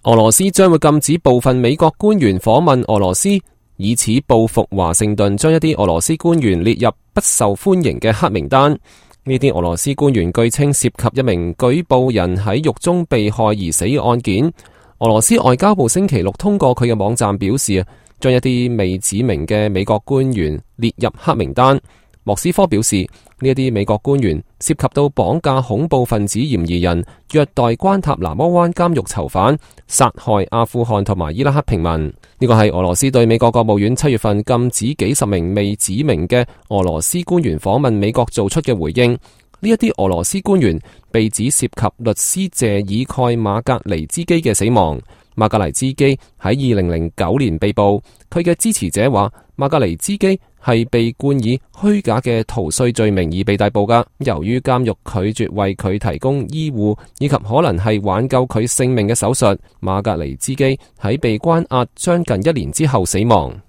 俄羅斯將會禁止部分美國官員訪問俄羅斯，以此報復華盛頓將一啲俄羅斯官員列入不受歡迎嘅黑名單。呢啲俄羅斯官員據稱涉及一名舉報人喺獄中被害而死嘅案件。俄羅斯外交部星期六通過佢嘅網站表示，將一啲未指明嘅美國官員列入黑名單。莫斯科表示，呢一啲美國官員涉及到綁架恐怖分子嫌疑人、虐待關塔那摩灣監獄囚犯、殺害阿富汗同埋伊拉克平民。呢個係俄羅斯對美國國務院7月份禁止幾十名未指明嘅俄羅斯官員訪問美國做出嘅回應。呢一啲俄羅斯官員被指涉及律師謝爾蓋馬格尼茲基嘅死亡。馬格尼茲基喺2009年被捕，佢嘅支持者話馬格尼茲基係被冠以虛假嘅逃稅罪名而被逮捕㗎。由於監獄拒絕為佢提供醫護以及可能係挽救佢性命嘅手術，馬格尼茲基喺被關押將近1年之後死亡。